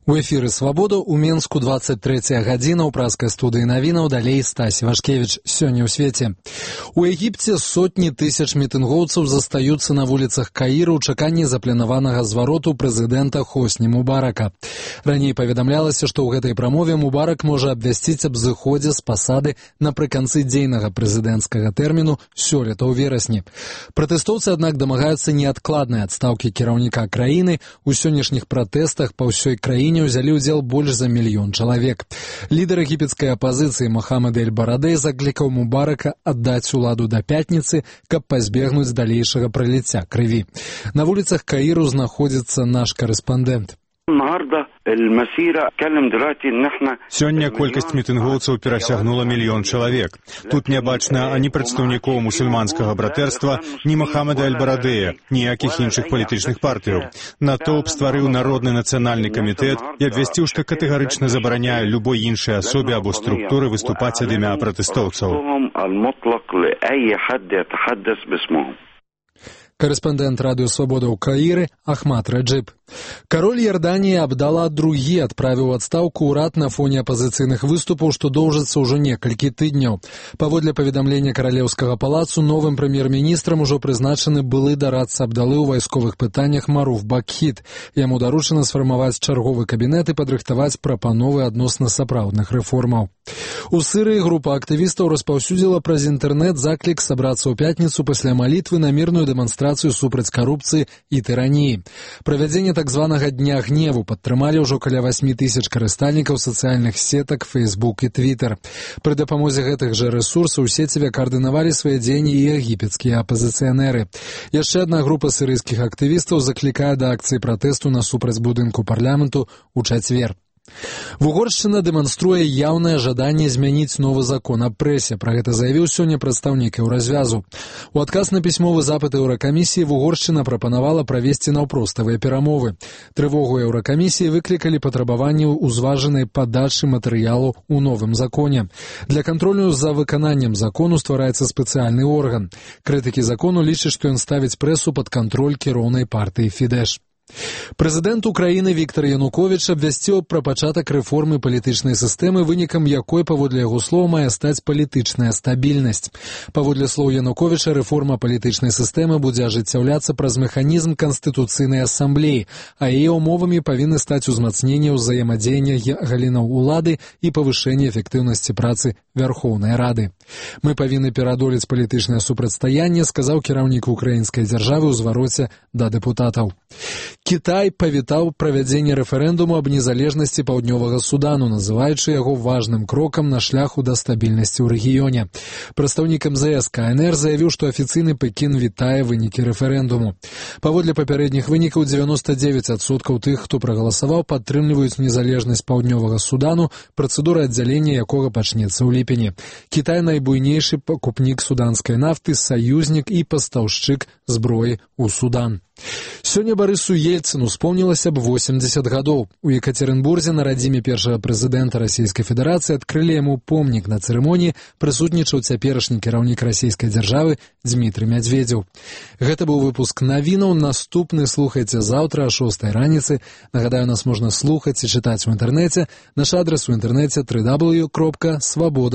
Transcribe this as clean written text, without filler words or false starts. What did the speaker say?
У эфіры «Свабода» у Менску 23 гадзіна ў праскай студыі навінаў, далей Стась Вашкевіч. Сёння ў свеце. У Егіпце сотні тысяч мітынгоўцаў застаюцца на вуліцах Каіра ў чаканні запланаванага звароту прэзідэнта Хосні Мубарака. Раней паведамлялася, што ў гэтай прамове Мубарак можа абвясціць аб зыходзе з пасады напрыканцы дзейнага прэзідэнцкага тэрміну сёлета ў верасні. Пратэстоўцы, аднак, дамагаюцца неадкладнай адстаўкі кіраўніка краіны. У сённяшніх пратэстах па ўсёй краіне ўзялі ўдзел больш за 1 мільён чалавек. Лідар егіпецкай апазіцыі Мохамед Эль-Барадэй заклікаў Мубарака аддаць уладу да пятніцы, каб пазбегнуць далейшага праліцця крыві. На вуліцах Каіру знаходзіцца наш карэспандэнт. Сёння колькасць мітынгоўцаў перасягнула 1 мільён чалавек. Тут не бачна ані прадстаўнікоў мусульманскага братэрства, ні Мохамеда Эль-Барадэя, ніякіх іншых палітычных партыяў. Натоўп стварыў народны нацыянальны камітэт і абвясціў, што катэгарычна забараняе любой іншай асобе або структуры выступаць ад імя пратэстоўцаў. Карэспандэнт радыё «Свабода» ў Каіры Ахмад Раджыб. Кароль Ярданіі Абдала II адправіў адстаўку ўрад на фоне апазіцыйных выступаў, што доўжыцца ўжо некалькі тыдняў. Паводле паведамлення каралеўскага палацу, новым прэм'ер-міністрам ужо прызначаны былы дарадца Абдалы ў вайсковых пытаннях Маруф Бакхіт. Яму даручана сфармаваць чарговы кабінет і падрыхтаваць прапановы адносна сапраўдных рэформаў. У Сырыі група актывістаў распаўсюдзіла праз інтэрнэт заклік сабрацца ў пятніцу пасля малітвы на мірную дэманстрацыю супраць карупцыі і тыраніі. Правядзенне так званага дня гневу падтрымалі ўжо каля 8 тысяч карыстальнікаў сацыяльных сетак Facebook і Twitter. Пры дапамозе гэтых жа рэсурсаў у сеціве каардынавалі свае дзеянні і егіпецкія апазіцыянеры. Яшчэ адна група сырыйскіх актывістаў заклікае да акцыі пратэсту насупраць будынку парламенту ў чацвер. Вугоршчына дэманструе яўнае жаданне змяніць новы закон аб прэсе. Пра гэта заявіў сёння прадстаўнік Еўразвязу. У адказ на пісьмовы запыт Еўракамісіі Вугоршчына прапанавала правесці наўпроставыя перамовы. Трывогу Еўракамісіі выклікалі патрабаванні ўзважанай падачы матэрыялу ў новым законе. Для кантролю за выкананнем закону ствараецца спецыяльны орган. Крытыкі закону лічаць, што ён ставіць прэсу пад кантроль кіроўнай партыі Фідэш. Прэзідэнт Украіны Віктар Януковіч абвясціў пра пачатак рэформы палітычнай сістэмы, вынікам якой, паводле яго слоў, мае стаць палітычная стабільнасць. Паводле слоў Януковіча, рэформа палітычнай сістэмы будзе ажыццяўляцца праз механізм Канстытуцыйнай асамблеі, а яе ўмовамі павінны стаць узмацненне ўзаемадзеяння галінаў улады і павышэнне эфектыўнасці працы Вярхоўнай Рады. Мы павінны пераадолець палітычнае супрацьстаянне, сказаў кіраўнік украінскай дзяржавы ў звароце да дэпутатаў. Кітай павітаў правядзенне рэферэндуму аб незалежнасці Паўднёвага Судану, называючы яго важным крокам на шляху да стабільнасці ў рэгіёне. Прадстаўнік МЗС КНР заявіў, што афіцыйны Пекін вітае вынікі рэферэндуму. Паводле папярэдніх вынікаў, 99% тых, хто прагаласаваў, падтрымліваюць незалежнасць Паўднёвага Судану, працэдура аддзялення якога пачнецца ў ліпені. Кітай найбуйнейшы пакупнік суданскай нафты, саюзнік і пастаўшчык зброі ў Судан. Сёння Барысу Ельцыну успомнілася б 80 гадоў. У Екатеринбурзе на радзіме першага прэзідэнта Расійскай Федэрацыі адкрылі яму помнік. На цырымоніі прысутнічаў цяперашні кіраўнік расійскай дзяржавы Дмітрый Мядзведзеў. Гэта быў выпуск навінаў. Наступны слухайце заўтра о 6 раніцы. Нагадаю, нас можна слухаць і чытаць у інтэрнэце. Наш адрес у інтэрнэце www.swaboda.org.